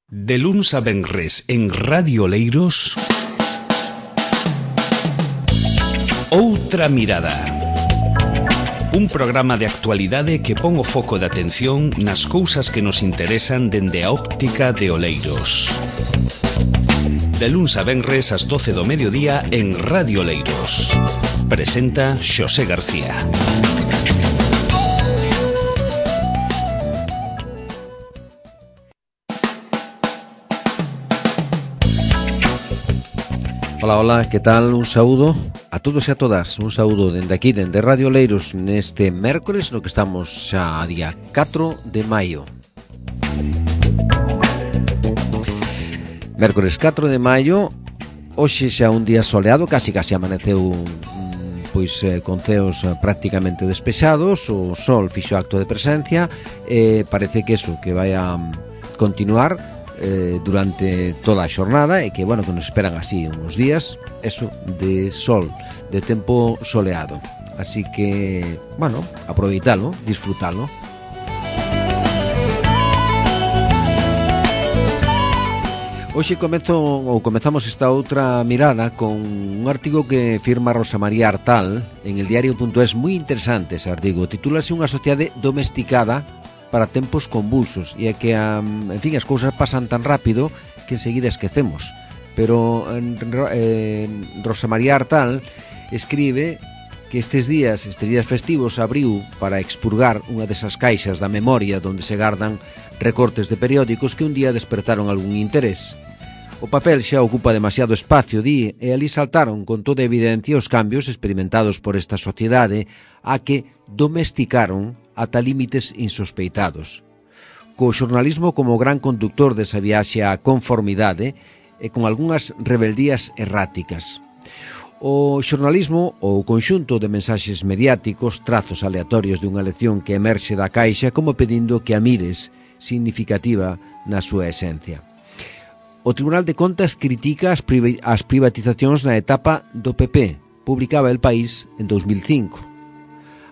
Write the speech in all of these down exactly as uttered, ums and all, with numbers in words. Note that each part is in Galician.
De luns a venres en Radio Leiros, Outra Mirada. Un programa de actualidade que pon o foco de atención nas cousas que nos interesan dende a óptica de Oleiros. De luns a venres ás doce do mediodía en Radio Leiros. Presenta Xosé García. Ola, ola, que tal? Un saúdo a todos e a todas. Un saúdo dende aquí, dende Radio Leiros, neste mércores, no que estamos xa a día catro de maio. Mércores catro de maio, hoxe xa un día soleado, casi casi amaneceu pois eh, con ceos prácticamente despexados, o sol fixo acto de presencia, e parece que eso, que vai a continuar Eh, durante toda a xornada e que, bueno, que nos esperan así uns días, eso, de sol, de tempo soleado. Así que, bueno, aproveitalo, disfrutalo. Hoxe comezo, ou comezamos esta outra mirada con un artigo que firma Rosa María Artal en el diario punto es, moi interesante ese artigo, titúlase Unha sociedade domesticada para tempos convulsos, e é que, um, en fin, as cousas pasan tan rápido que enseguida esquecemos. Pero eh, Rosa María Artal escribe que estes días, estes días festivos, abriu para expurgar unha desas caixas da memoria onde se gardan recortes de periódicos que un día despertaron algún interés. O papel xa ocupa demasiado espacio, di, e ali saltaron con toda evidencia os cambios experimentados por esta sociedade a que domesticaron ata límites insospeitados. Co xornalismo como gran conductor desa viaxe á conformidade e con algunhas rebeldías erráticas. O xornalismo, ou conxunto de mensaxes mediáticos, trazos aleatorios de unha lección que emerxe da caixa como pedindo que a mires, significativa na súa esencia. O Tribunal de Contas critica as, priva- as privatizacións na etapa do P P, publicaba El País en dos mil cinco.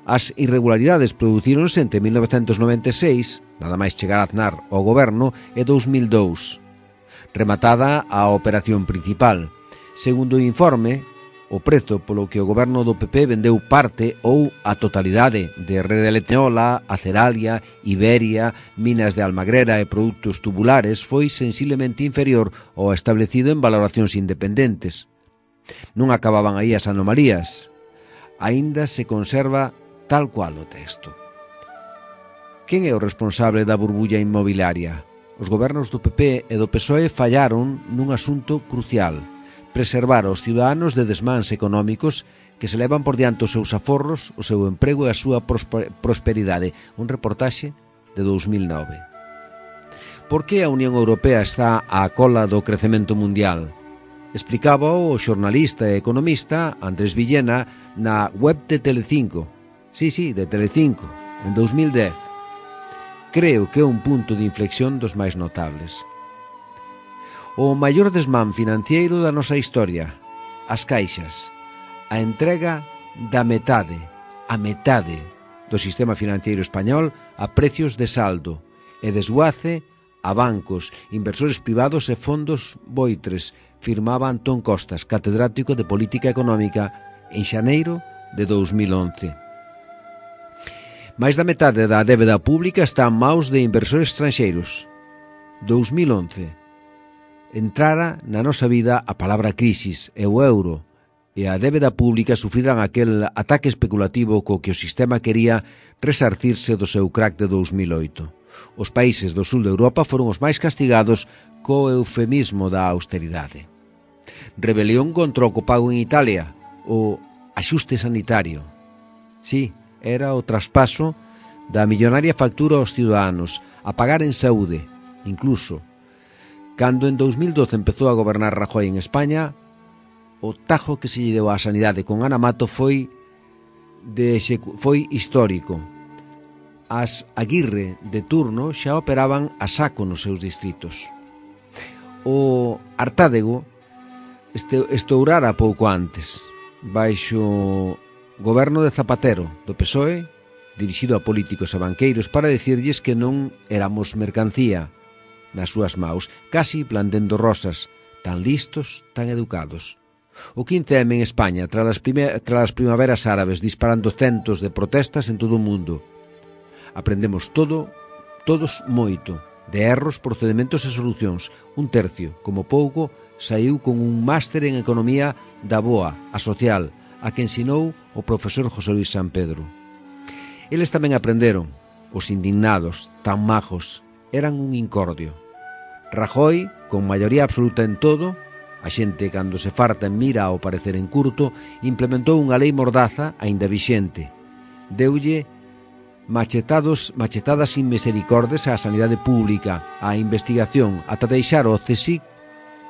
As irregularidades producíronse entre mil novecentos noventa e seis, nada máis chegar a Aznar ao goberno, e dous mil dous, rematada a operación principal. Segundo o informe, o prezo polo que o goberno do P P vendeu parte ou a totalidade de Rede Electrola, Aceralia, Iberia, Minas de Almagrera e produtos tubulares foi sensiblemente inferior ao establecido en valoracións independentes. Non acababan aí as anomalías. Aínda se conserva tal cual o texto. Quen é o responsable da burbulla inmobiliaria? Os gobernos do P P e do P S O E fallaron nun asunto crucial: preservar aos ciudadanos de desmáns económicos que se levan por diante os seus aforros, o seu emprego e a súa prosperidade. Un reportaxe de dos mil nove. Por que a Unión Europea está á cola do crecemento mundial? Explicaba o xornalista e economista Andrés Villena na web de Telecinco. Sí, sí, de Telecinco, en dos mil dez. Creo que é un punto de inflexión dos máis notables. O maior desmán financiero da nosa historia, as caixas, a entrega da metade, a metade do sistema financiero español a precios de saldo e desguace a bancos, inversores privados e fondos voitres, firmaba Antón Costas, catedrático de Política Económica, en xaneiro de dos mil once. Mais da metade da débeda pública está en maus de inversores estranxeiros. dos mil once. Entrara na nosa vida a palabra crisis e o euro, e a débeda pública sufriran aquel ataque especulativo co que o sistema quería resarcirse do seu crack de dos mil oito. Os países do sul de Europa foron os máis castigados co eufemismo da austeridade. Rebelión contra o copago en Italia, o axuste sanitario. Sí, era o traspaso da millonaria factura aos ciudadanos, a pagar en saúde, incluso. Cando en dos mil doce empezou a gobernar Rajoy en España, o tajo que se lle deu á sanidade con Ana Mato foi, de execu- foi histórico. As Aguirre de turno xa operaban a saco nos seus distritos. O Artádego este, estourara pouco antes, baixo goberno de Zapatero, do P S O E, dirixido a políticos e banqueiros para dicirlles que non éramos mercancía, nas súas maus, casi plandendo rosas, tan listos, tan educados. O quince eme en España, tras as, tras as primaveras árabes, disparando centos de protestas en todo o mundo. Aprendemos todo, todos moito, de erros, procedimentos e solucións. Un tercio, como pouco, saiu con un máster en Economía da Boa, a social, a que ensinou o profesor José Luis San Pedro. Eles tamén aprenderon. Os indignados, tan majos, eran un incordio. Rajoy, con maioría absoluta en todo, a xente cando se farta en mira ao parecer en curto, implementou unha lei mordaza aínda vixente. Deulle machetados, machetadas sin misericordes á sanidade pública, á investigación, ata deixar o C S I C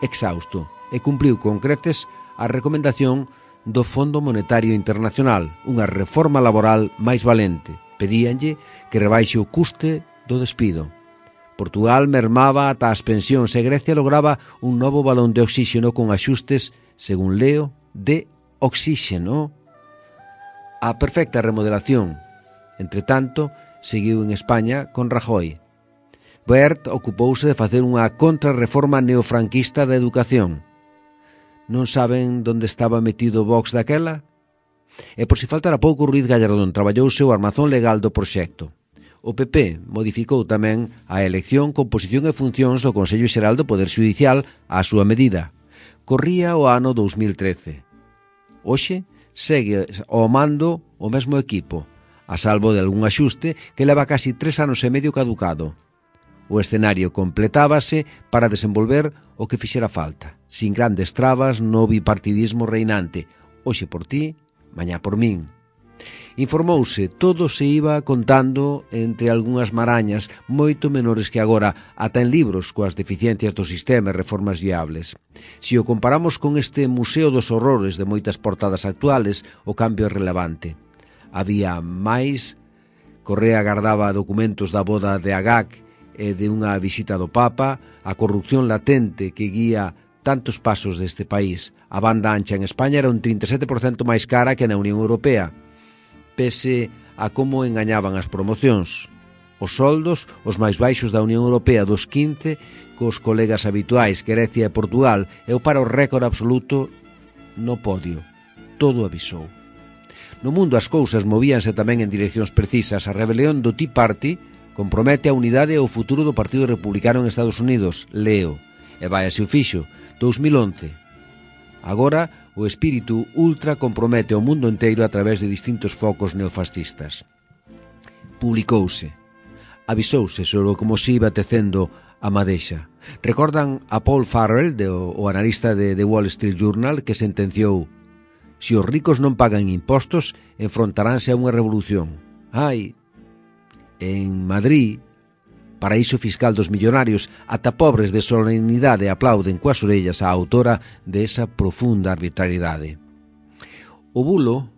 exhausto, e cumpriu con creces a recomendación do Fondo Monetario Internacional, unha reforma laboral máis valente. Pedíanlle que rebaixe o custe do despido. Portugal mermaba ata as pensións e Grecia lograba un novo balón de oxíxeno con axustes, según leo, de oxíxeno. A perfecta remodelación. Entre tanto, seguiu en España con Rajoy. Wert ocupouse de facer unha contrarreforma neofranquista da educación. Non saben onde estaba metido Vox daquela? E por si faltara pouco, Ruiz Gallardón traballouse o armazón legal do proxecto. O P P modificou tamén a elección, composición e funcións do Consello Xeral do Poder Xudicial á súa medida. Corría o ano dous mil trece. Hoxe segue ao mando o mesmo equipo, a salvo de algún axuste que leva casi tres anos e medio caducado. O escenario completábase para desenvolver o que fixera falta, sin grandes trabas no bipartidismo reinante, hoxe por ti, mañá por min. Informouse, todo se iba contando entre algunhas marañas moito menores que agora, ata en libros coas deficiencias do sistema e reformas viables. Se o comparamos con este museo dos horrores de moitas portadas actuales, o cambio é relevante. Había máis, Correa agardaba documentos da boda de Agag e de unha visita do Papa, a corrupción latente que guía tantos pasos deste país. A banda ancha en España era un trinta e sete por cento máis cara que na Unión Europea, pese a como engañaban as promocións. Os soldos, os máis baixos da Unión Europea dos quince, cos colegas habituais Grecia e Portugal, e o paro récord absoluto no podio. Todo avisou. No mundo as cousas movíanse tamén en direccións precisas. A rebelión do Tea Party compromete a unidade e o futuro do Partido Republicano en Estados Unidos, leo, e vai así o fixo, dous mil once. Agora, o espírito ultra compromete o mundo inteiro a través de distintos focos neofascistas. Publicouse. Avisouse sobre como se iba tecendo a madexa. Recordan a Paul Farrell, de, o analista de The Wall Street Journal, que sentenciou: se os ricos non pagan impostos, enfrontaránse a unha revolución. Ai, en Madrid, paraíso fiscal dos millonarios, ata pobres de solemnidade aplauden coas orellas a autora de esa profunda arbitrariedade. O bulo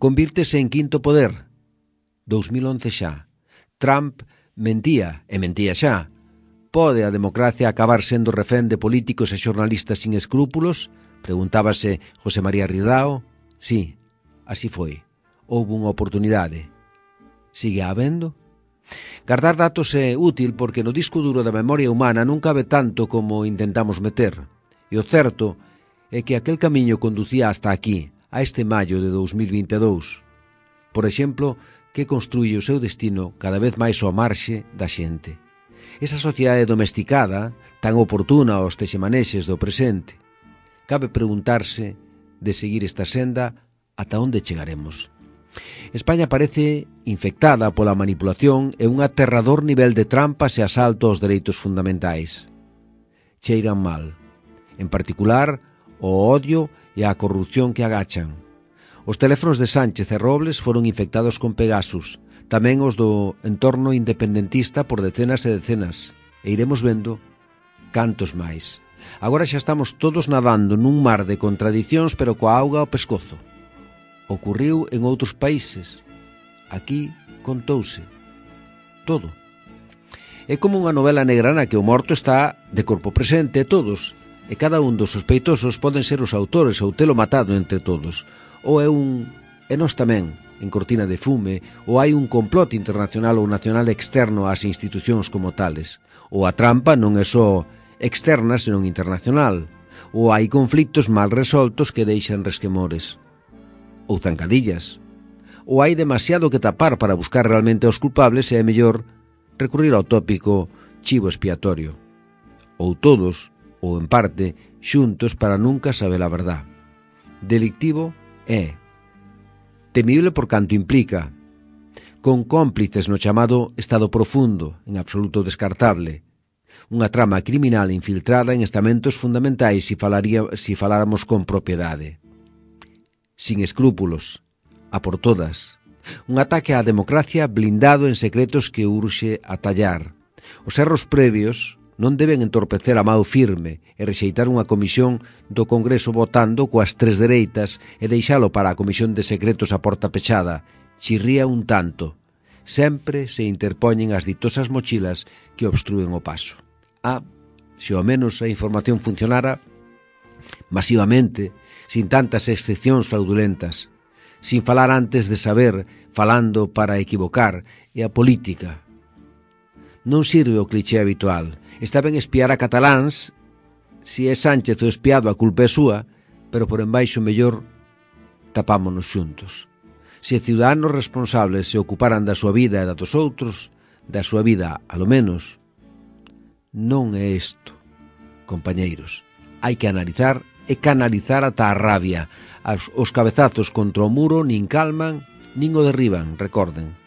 convírtese en quinto poder. dous mil once xa. Trump mentía, e mentía xa. Pode a democracia acabar sendo refén de políticos e xornalistas sin escrúpulos? Preguntábase José María Ridao. Sí, así foi. Houbo unha oportunidade. Sigue habendo? Guardar datos é útil porque no disco duro da memoria humana non cabe tanto como intentamos meter. E o certo é que aquel camiño conducía hasta aquí, a este maio de dous mil vinte e dous. Por exemplo, que construye o seu destino cada vez máis ao marxe da xente. Esa sociedade domesticada, tan oportuna aos texemanexes do presente. Cabe preguntarse, de seguir esta senda, ata onde chegaremos. España parece infectada pola manipulación e un aterrador nivel de trampas e asalto aos dereitos fundamentais. Cheiran mal. En particular, o odio e a corrupción que agachan. Os teléfonos de Sánchez e Robles foron infectados con Pegasus, tamén os do entorno independentista por decenas e decenas, e iremos vendo cantos máis. Agora xa estamos todos nadando nun mar de contradicións, pero coa auga ao pescozo. Ocurriu en outros países. Aquí contouse todo. É como unha novela negra na que o morto está de corpo presente todos, e cada un dos sospeitosos poden ser os autores ou telo matado entre todos. Ou é un... e nós tamén, en cortina de fume, ou hai un complot internacional ou nacional externo ás institucións como tales. ou a trampa non é só externa, senón internacional, ou hai conflictos mal resoltos que deixan resquemores, ou zancadillas, ou hai demasiado que tapar para buscar realmente aos culpables e é mellor recurrir ao tópico chivo expiatorio, ou todos, ou en parte, xuntos para nunca saber a verdad. Delictivo é temible por canto implica, con cómplices no chamado estado profundo, en absoluto descartable, unha trama criminal infiltrada en estamentos fundamentais se falaría, si faláramos con propiedade. Sin escrúpulos, a por todas, un ataque á democracia blindado en secretos que urxe atallar. Os erros previos non deben entorpecer a mao firme e rexeitar unha comisión do Congreso votando coas tres dereitas e deixalo para a comisión de secretos a porta pechada. Chirría un tanto. Sempre se interpoñen as ditosas mochilas que obstrúen o paso. Ah, se ao menos a información funcionara masivamente, sin tantas excepcións fraudulentas, sin falar antes de saber, falando para equivocar, e a política. Non sirve o cliché habitual. Está ben espiar a cataláns, si é Sánchez o espiado a culpa é súa, pero por embaixo mellor tapámonos xuntos. Se ciudadanos responsables se ocuparan da súa vida e da dos outros, da súa vida, a lo menos, non é isto, compañeiros. Hai que analizar e canalizar ata a rabia. As, os cabezazos contra o muro nin calman, nin o derriban, recorden.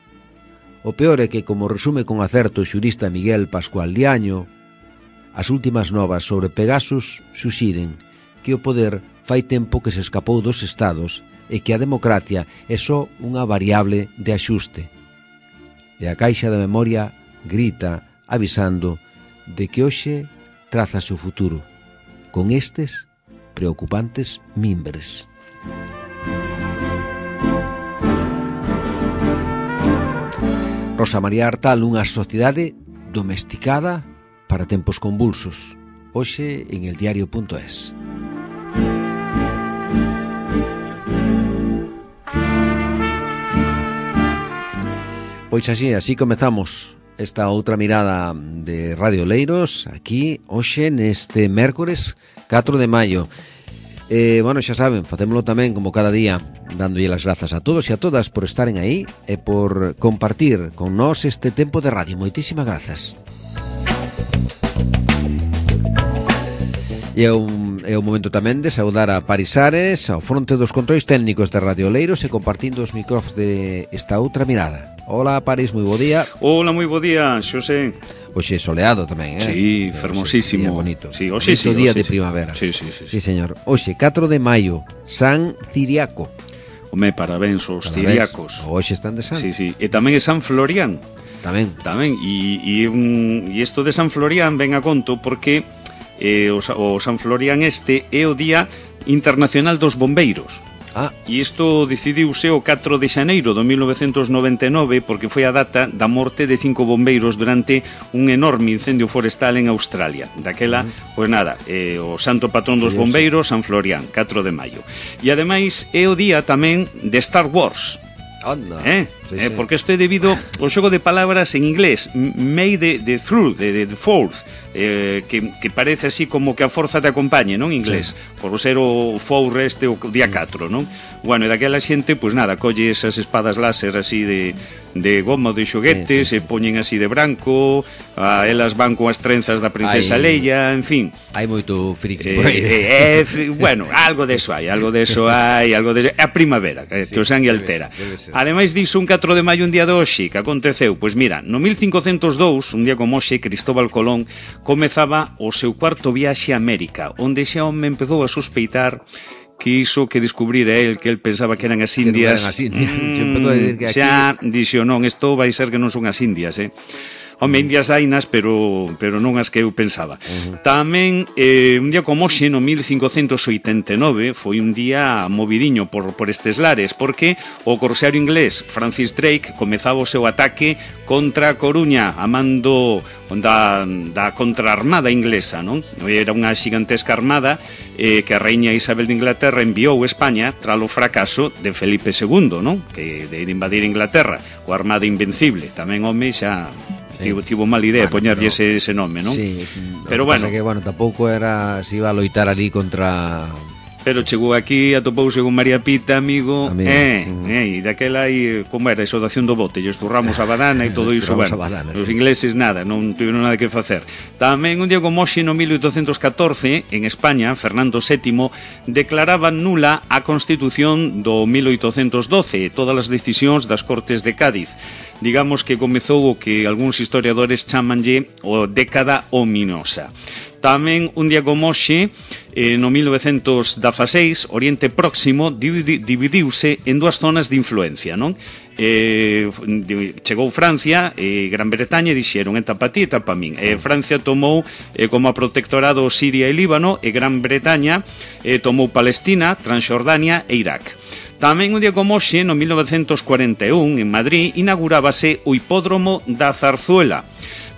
O peor é que, como resume con acerto o xurista Miguel Pascual Liaño, as últimas novas sobre Pegasus suxiren que o poder fai tempo que se escapou dos estados e que a democracia é só unha variable de axuste. E a caixa da memoria grita avisando de que hoxe trazase o futuro con estes preocupantes mimbres. Rosa María Artal, unha sociedade domesticada para tempos convulsos. Hoxe en el diario punto es. Pois así, así comezamos esta outra mirada de Radio Oleiros aquí, hoxe, neste mércores catro de maio. Eh, bueno, xa saben, facémolo tamén como cada día, dándolle as grazas a todos e a todas por estaren aí e por compartir con nós este tempo de radio. Moitísimas grazas. E é un, é un momento tamén de saudar a Paris Ares ao fronte dos controis técnicos de Radio Oleiros e compartindo os micrófonos de esta outra mirada. Hola, Paris, moi bo día. Hola, moi bo día, Xosé. Hoxe soleado tamén, eh? Sí, fermosísimo. Bonito. Sí, hoxe sí, día hoxe de sí. primavera. Sí, sí, sí, Sí, sí. señor. Hoxe, catro de maio, San Ciriaco. Home, parabéns aos ciriacos. Hoxe están de San. Sí, sí. E tamén é San Florián. Tamén. Tamén. E, e, un, e isto de San Florián ven a conto porque eh, o, o San Florián este é o Día Internacional dos Bombeiros. Ah. E isto decidiuse o catro de xaneiro do mil novecentos noventa e nove porque foi a data da morte de cinco bombeiros durante un enorme incendio forestal en Australia. Daquela, uh-huh. pois nada, eh, o santo patrón dos bombeiros, San Florián, catro de maio. E ademais é o día tamén de Star Wars. Anda. Eh? Sí, eh, sí. Porque isto é debido ao xogo de palabras en inglés, May the, the through, the, the fourth, eh, que, que parece así como que a forza te acompañe, non? En inglés, sí. Por ser o four este o día catro, non? Bueno, e daquela xente, pois nada, colle esas espadas láser así de, de goma de xoguetes, sí, sí, sí. E poñen así de branco, a elas van con as trenzas da princesa hai, Leia, en fin. Hai moito friki eh, por aí. Eh, eh, bueno, algo deso hai, algo deso hai, algo deso... A primavera, que, sí, que o sangue altera. Debe ser, debe ser. Ademais diso, un catro de maio, un día de hoxe, que aconteceu, pois mira, no mil cincocentos e dous, un día como hoxe, Cristóbal Colón comezaba o seu cuarto viaxe a América, onde xa home empezou a sospeitar que iso que descubrira el, que el pensaba que eran as Indias, que non eran as Indias. Mm, que xa aquí... dixo, non, isto vai ser que non son as Indias, eh? Home, indias hainas, pero, pero non as que eu pensaba. Uh-huh. Tamén, eh, un día como hoxe, no mil cincocentos oitenta e nove, foi un día movidiño por, por estes lares, porque o corsario inglés Francis Drake comezaba o seu ataque contra a Coruña, a mando da, da contraarmada inglesa, non? Era unha xigantesca armada eh, que a reiña Isabel de Inglaterra enviou a España tras o fracaso de Felipe segundo, non? Que de invadir Inglaterra, coa armada invencible. Tamén, home, xa... tivo, tivo mal idea bueno, poñarlle pero, ese, ese nome, non? Sí, pero bueno, que, bueno, tampouco era se iba a loitar ali contra... Pero chegou aquí, atopouse con María Pita, amigo, amigo. eh, mm. eh, e daquela aí, como era, esa dación do bote, lle esturramos a badana e todo iso, bueno, badana, os sí. ingleses nada, non tiveron nada que facer. Tamén un día como hoxe, no mil oitocentos catorce, en España, Fernando sétimo declaraba nula a Constitución do mil oitocentos doce e todas as decisións das Cortes de Cádiz. Digamos que comezou o que algúns historiadores chamanlle o década ominosa. Tamén un día como hoxe, eh, no mil novecentos dezaseis, Oriente Próximo dividiuse en dúas zonas de influencia, non? Eh, chegou Francia e Gran Bretaña e dixeron eta pa ti, eta pa min. Eh, Francia tomou eh, como a protectorado Siria e Líbano e Gran Bretaña eh, tomou Palestina, Transjordania e Irak. Tamén un día como hoxe, no mil novecentos cuarenta e un, en Madrid, inaugurábase o Hipódromo da Zarzuela.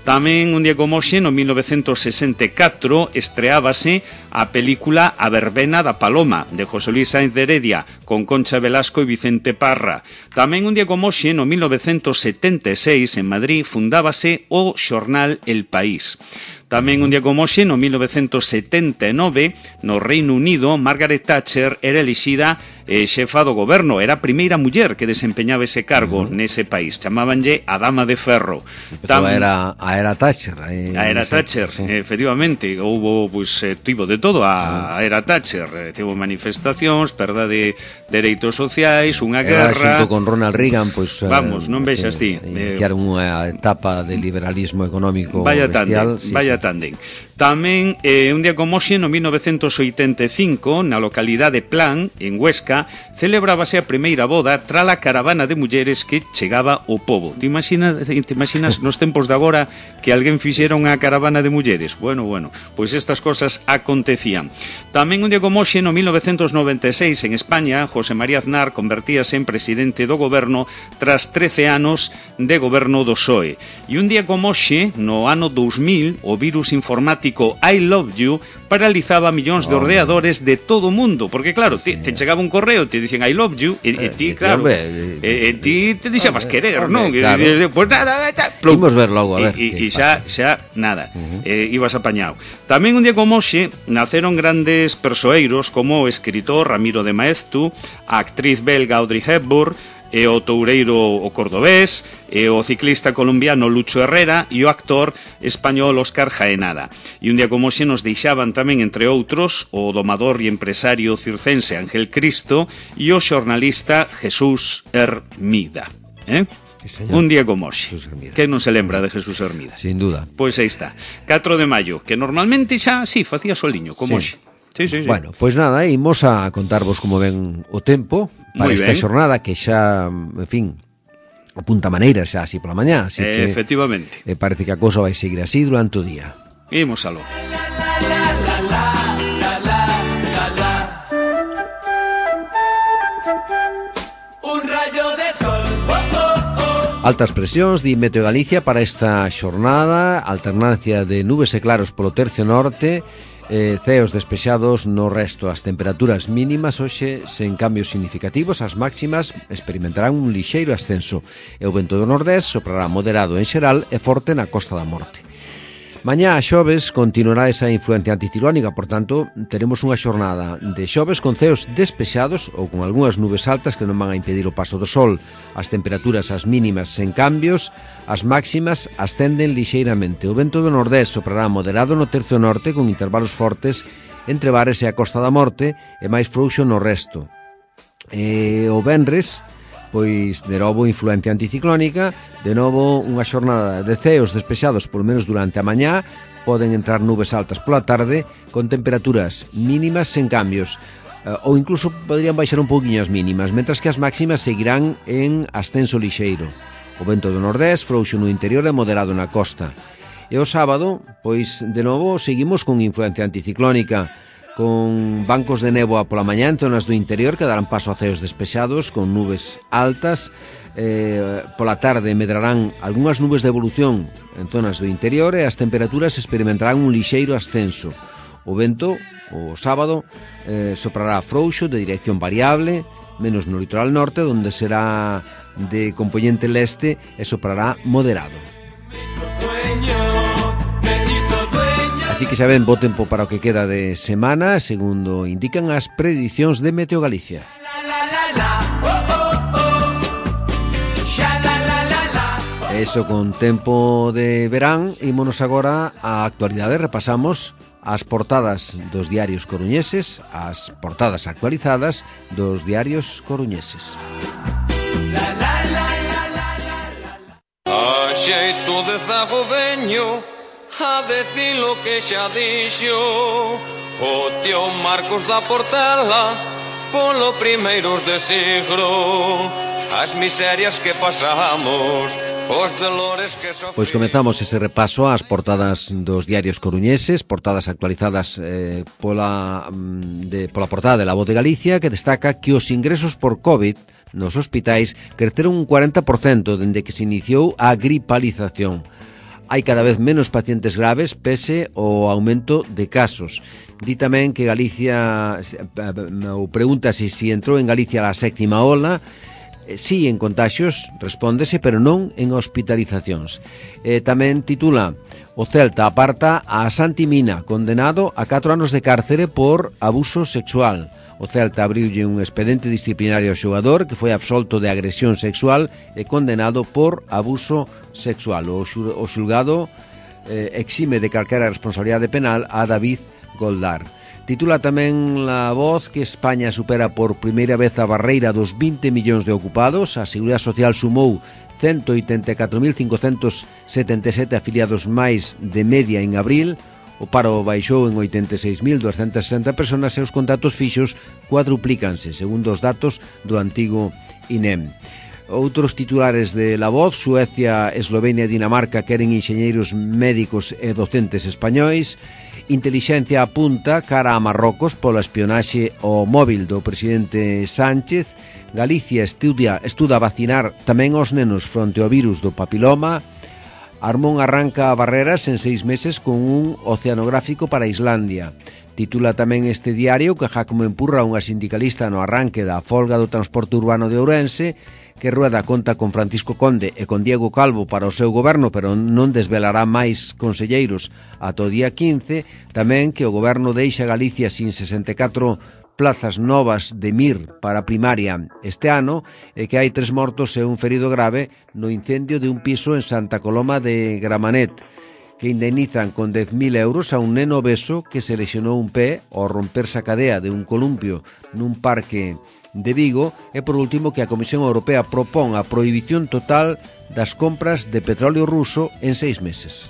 Tamén un día como hoxe, no mil novecentos sesenta e catro, estreábase a película A verbena da Paloma, de José Luis Sáenz de Heredia, con Concha Velasco e Vicente Parra. Tamén un día como hoxe, no mil novecentos setenta e seis, en Madrid, fundábase o xornal El País. Tamén un día como hoxe, no mil novecentos setenta e nove, no Reino Unido, Margaret Thatcher era elixida eh, xefa do goberno. Era a primeira muller que desempeñaba ese cargo uh -huh. nese país. Chamábanlle a Dama de Ferro. Tam... Era a era Thatcher. Eh, a era Thatcher, sí. efectivamente. Houbo, pues, eh, tivo de todo a, a era Thatcher. Eh, tivo manifestacións, perda de dereitos sociais, unha era guerra... Xunto con Ronald Reagan, pues, vamos, non vexas sí, ti. Iniciaron eh, unha etapa de liberalismo económico vaya bestial. Tanden, sí, vaya sí. Tanden. Tamén, eh, un día como hoxe, no mil novecentos oitenta e cinco, na localidade Plan, en Huesca, celebrábase a primeira boda trala caravana de mulleres que chegaba ao pobo. Te imaginas, te imaginas nos tempos de agora que alguén fixera unha caravana de mulleres? Bueno, bueno, pois estas cosas acontecían. Tamén un día como hoxe, no mil novecentos noventa e seis, en España, José María Aznar convertíase en presidente do goberno tras trece anos de goberno do P S O E. E un día como hoxe, no ano dous mil, o virus informático I Love You paralizaba millóns de ordenadores de todo o mundo, porque claro, te, te chegaba un correo, te dicen I Love You e, e ti, claro, e, e ti te dixabas querer, non? Claro. Pues nada, imos ver logo, a ver. E xa, xa, nada, uh -huh. eh, ibas apañado. Tamén un día como hoxe naceron grandes persoeiros como o escritor Ramiro de Maeztu, a actriz belga Audrey Hepburn, e o toureiro o cordobés, e o ciclista colombiano Lucho Herrera e o actor español Óscar Jaenada. E un día como hoxe nos deixaban tamén, entre outros, o domador e empresario circense Ángel Cristo e o xornalista Jesús Hermida. Eh? Sí, un día como hoxe. Que non se lembra de Jesús Hermida? Sin duda. Pois aí está. catro de maio, que normalmente xa, sí, facía soliño, como hoxe. Sí. Sí, sí, sí. Bueno, pois pues nada, imos a contarvos como ven o tempo para esta xornada que xa, en fin, apunta maneira xa así pola mañá, así eh, que efectivamente. Eh, parece que a cousa vai seguir así durante o día. Imos aló. Un rayo de sol. Oh, oh, oh. Altas presións de Meteo Galicia para esta xornada, alternancia de nubes e claros polo tercio norte, Eh, ceos despexados no resto. As temperaturas mínimas hoxe sen cambios significativos, as máximas experimentarán un lixeiro ascenso e o vento do nordés soprará moderado en xeral e forte na Costa da Morte. Mañá a xoves continuará esa influencia anticiclónica, por tanto, teremos unha xornada de xoves con ceos despexados ou con algunhas nubes altas que non van a impedir o paso do sol. As temperaturas as mínimas sen cambios, as máximas ascenden lixeiramente. O vento do nordés soprará moderado no tercio norte con intervalos fortes entre Bares e a Costa da Morte e máis frouxo no resto. E o venres, pois de novo influencia anticiclónica, de novo unha xornada de ceos despexados polo menos durante a mañá, poden entrar nubes altas pola tarde con temperaturas mínimas sen cambios, ou incluso poderían baixar un pouquiño as mínimas, mentras que as máximas seguirán en ascenso lixeiro. O vento do nordés frouxo no interior e moderado na costa. E o sábado, pois de novo seguimos con influencia anticiclónica, con bancos de néboa pola mañá en zonas do interior que darán paso a ceos despexados con nubes altas. Eh, pola tarde medrarán algunhas nubes de evolución en zonas do interior e as temperaturas experimentarán un lixeiro ascenso. O vento, o sábado, eh, soprará frouxo de dirección variable, menos no litoral norte, onde será de compoñente leste e soprará moderado. Así que xa ven, bo tempo para o que queda de semana, segundo indican as predicións de Meteo Galicia. Eso con tempo de verán, ímonos agora á actualidade, repasamos as portadas dos diarios coruñeses, as portadas actualizadas dos diarios coruñeses. A xeito de zago veño a decir lo que xa dixo o tío Marcos da Portela polo primeiros de siglo, as miserias que pasamos, os dolores que sofrimos. Pois comezamos ese repaso ás portadas dos diarios coruñeses, portadas actualizadas eh, pola, de, pola portada de La Voz de Galicia, que destaca que os ingresos por COVID nos hospitais creceron un cuarenta por cento dende que se iniciou a gripalización. Hai cada vez menos pacientes graves pese ao aumento de casos. Di tamén que Galicia, ou pregúntase se entrou en Galicia a sétima ola. Sí, en contaxios, respóndese, pero non en hospitalizacións. Eh, tamén titula: o Celta aparta a Santi Mina, condenado a catro anos de cárcere por abuso sexual. O Celta abriulle un expediente disciplinario ao xogador que foi absolto de agresión sexual e condenado por abuso sexual. O, xu, o xulgado eh, exime de calquera responsabilidade penal a David Goldar. Titula tamén La Voz que España supera por primeira vez a barreira dos vinte millóns de ocupados. A Seguridade Social sumou ciento oitenta e catro mil cincocentos setenta e sete afiliados máis de media en abril. O paro baixou en oitenta e seis mil duascentas sesenta personas e os contratos fixos cuadruplícanse, segundo os datos do antigo I N E M. Outros titulares de La Voz: Suecia, Eslovenia e Dinamarca queren enxeñeiros médicos e docentes españois. Intelixencia apunta cara a Marrocos pola espionaxe ao móvil do presidente Sánchez. Galicia estudia, estuda vacinar tamén aos nenos fronte ao virus do papiloma. Armón arranca barreras en seis meses con un oceanográfico para Islandia. Titula tamén este diario que Jacome empurra unha sindicalista no arranque da folga do transporte urbano de Ourense, que Rueda conta con Francisco Conde e con Diego Calvo para o seu goberno, pero non desvelará máis conselleiros ata o día quince. Tamén que o goberno deixa Galicia sin sesenta e catro plazas novas de M I R para primaria este ano e que hai tres mortos e un ferido grave no incendio de un piso en Santa Coloma de Gramanet, que indemnizan con dez mil euros a un neno obeso que se lesionou un pé ao romperse a cadea de un columpio nun parque de Vigo. E por último que a Comisión Europea propón a prohibición total das compras de petróleo ruso en seis meses.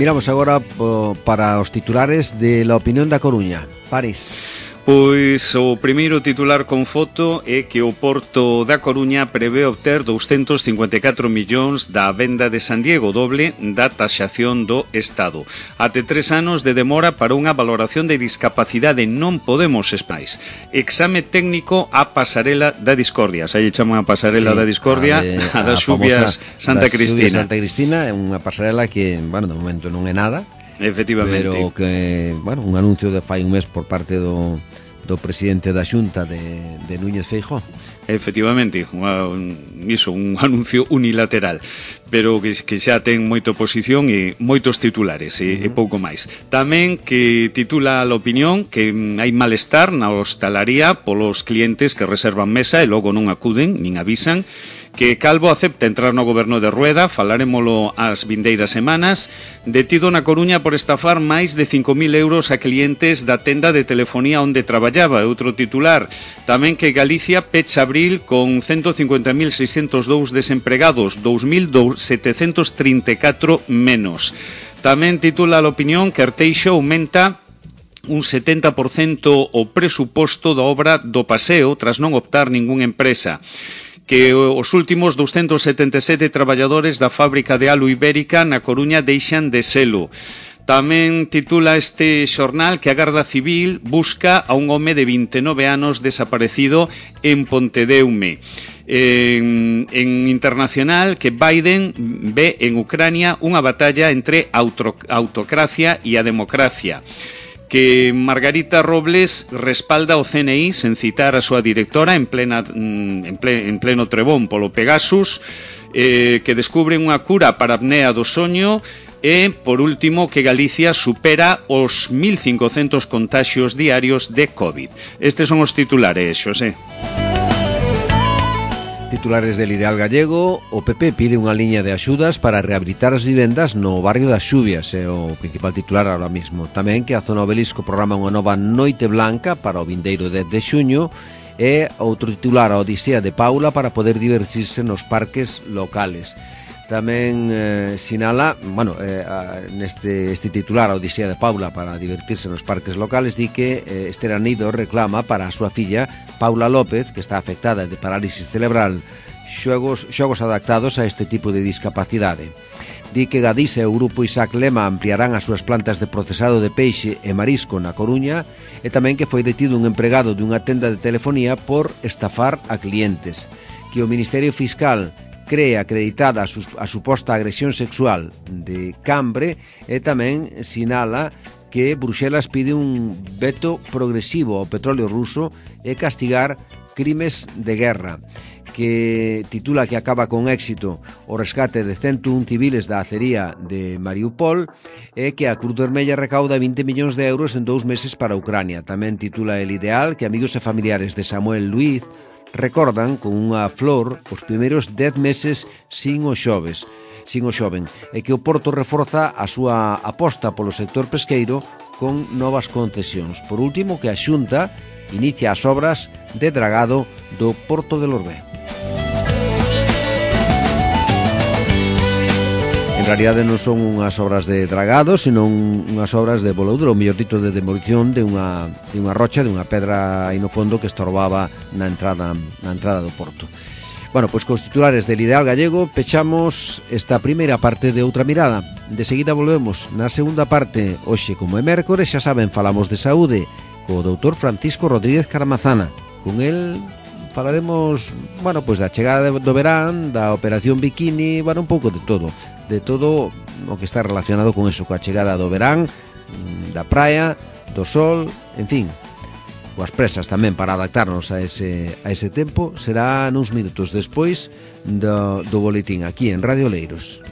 Miramos agora po, para os titulares de La Opinión da Coruña. París. Pois o primeiro titular con foto é que o Porto da Coruña prevé obter doscientos cincuenta e catro millóns da venda de San Diego, doble da taxación do Estado. Até tres anos de demora para unha valoración de discapacidade, non podemos espais. Exame técnico a pasarela da discordia. Xa lle chaman a pasarela sí, da discordia, a, de, a das xubias Santa Cristina. Santa Cristina é unha pasarela que, bueno, de momento non é nada. Efectivamente. Pero que, bueno, un anuncio de fai un mes por parte do, do presidente da Xunta de, de Núñez Feijóo. Efectivamente, un, iso, un anuncio unilateral, pero que, que xa ten moita oposición e moitos titulares e, uh-huh. e pouco máis. Tamén que titula a opinión que hai malestar na hostalaría polos clientes que reservan mesa e logo non acuden, nin avisan. Que Calvo acepta entrar no goberno de Rueda, falarémolo as vindeiras semanas. Detido na Coruña por estafar máis de cinco mil euros a clientes da tenda de telefonía onde traballaba. Outro titular, tamén que Galicia pecha abril con ciento cincuenta mil seiscentos dous desempregados, dous mil setecentos trinta e catro menos. Tamén titula a opinión que Arteixo aumenta un setenta por cento o presuposto da obra do Paseo tras non optar ningunha empresa. Que os últimos doscientos setenta e sete traballadores da fábrica de Alu Ibérica na Coruña deixan de selo. Tamén titula este xornal que a Garda Civil busca a un home de vinte e nove anos desaparecido en Pontedeume. En, en internacional que Biden ve en Ucrania unha batalla entre auto, autocracia e a democracia. Que Margarita Robles respalda o C N I sen citar a súa directora en plena en, ple, en pleno trebón polo Pegasus. eh, que descubren unha cura para a apnea do soño. E, por último, que Galicia supera os mil cincocentos contaxios diarios de COVID. Estes son os titulares, Xosé. Titulares del Ideal Gallego. O P P pide unha liña de axudas para rehabilitar as vivendas no barrio das Xubias. É o principal titular ahora mismo. Tamén que a Zona Obelisco programa unha nova noite blanca para o vindeiro dez de xuño. E outro titular, a Odisea de Paula para poder divertirse nos parques locales. Tamén eh, sinala, bueno, eh, a, neste este titular, a Odisea de Paula para divertirse nos parques locales, di que eh, Esther Anido reclama para a súa filla Paula López, que está afectada de parálisis cerebral, xogos, xogos adaptados a este tipo de discapacidade. Di que Gadisa e o grupo Isaac Lema ampliarán as súas plantas de procesado de peixe e marisco na Coruña, e tamén que foi detido un empregado dunha tenda de telefonía por estafar a clientes. Que o Ministerio Fiscal cree acreditada a, su, a suposta agresión sexual de Cambre, e tamén sinala que Bruxelas pide un veto progresivo ao petróleo ruso e castigar crimes de guerra, que titula que acaba con éxito o rescate de ciento un civiles da acería de Mariupol, e que a Cruz Vermella recauda vinte millóns de euros en dous meses para Ucrania. Tamén titula El Ideal que amigos e familiares de Samuel Luiz recordan con unha flor os primeiros dez meses sin os xoves, sin o xoven, e que o Porto reforza a súa aposta polo sector pesqueiro con novas concesións. Por último, que a Xunta inicia as obras de dragado do Porto de Lorbé. En realidade non son unhas obras de dragado, senón unhas obras de boloudro, ou mellor dito, de demolición de unha, de unha rocha, de unha pedra aí no fondo que estorbaba na entrada, na entrada do porto. Bueno, pois cos titulares del Ideal Gallego pechamos esta primeira parte de Outra Mirada. De seguida volvemos na segunda parte. Hoxe, como é mércores, xa saben, falamos de saúde co doutor Francisco Rodríguez Caramazana. Con el falaremos, bueno, pois da chegada do verán, da operación Bikini, bueno, un pouco de todo. De todo o que está relacionado con eso, coa chegada do verán, da praia, do sol, en fin, coas presas tamén para adaptarnos a ese, a ese tempo. Será nuns minutos despois do, do boletín aquí en Radio Oleiros.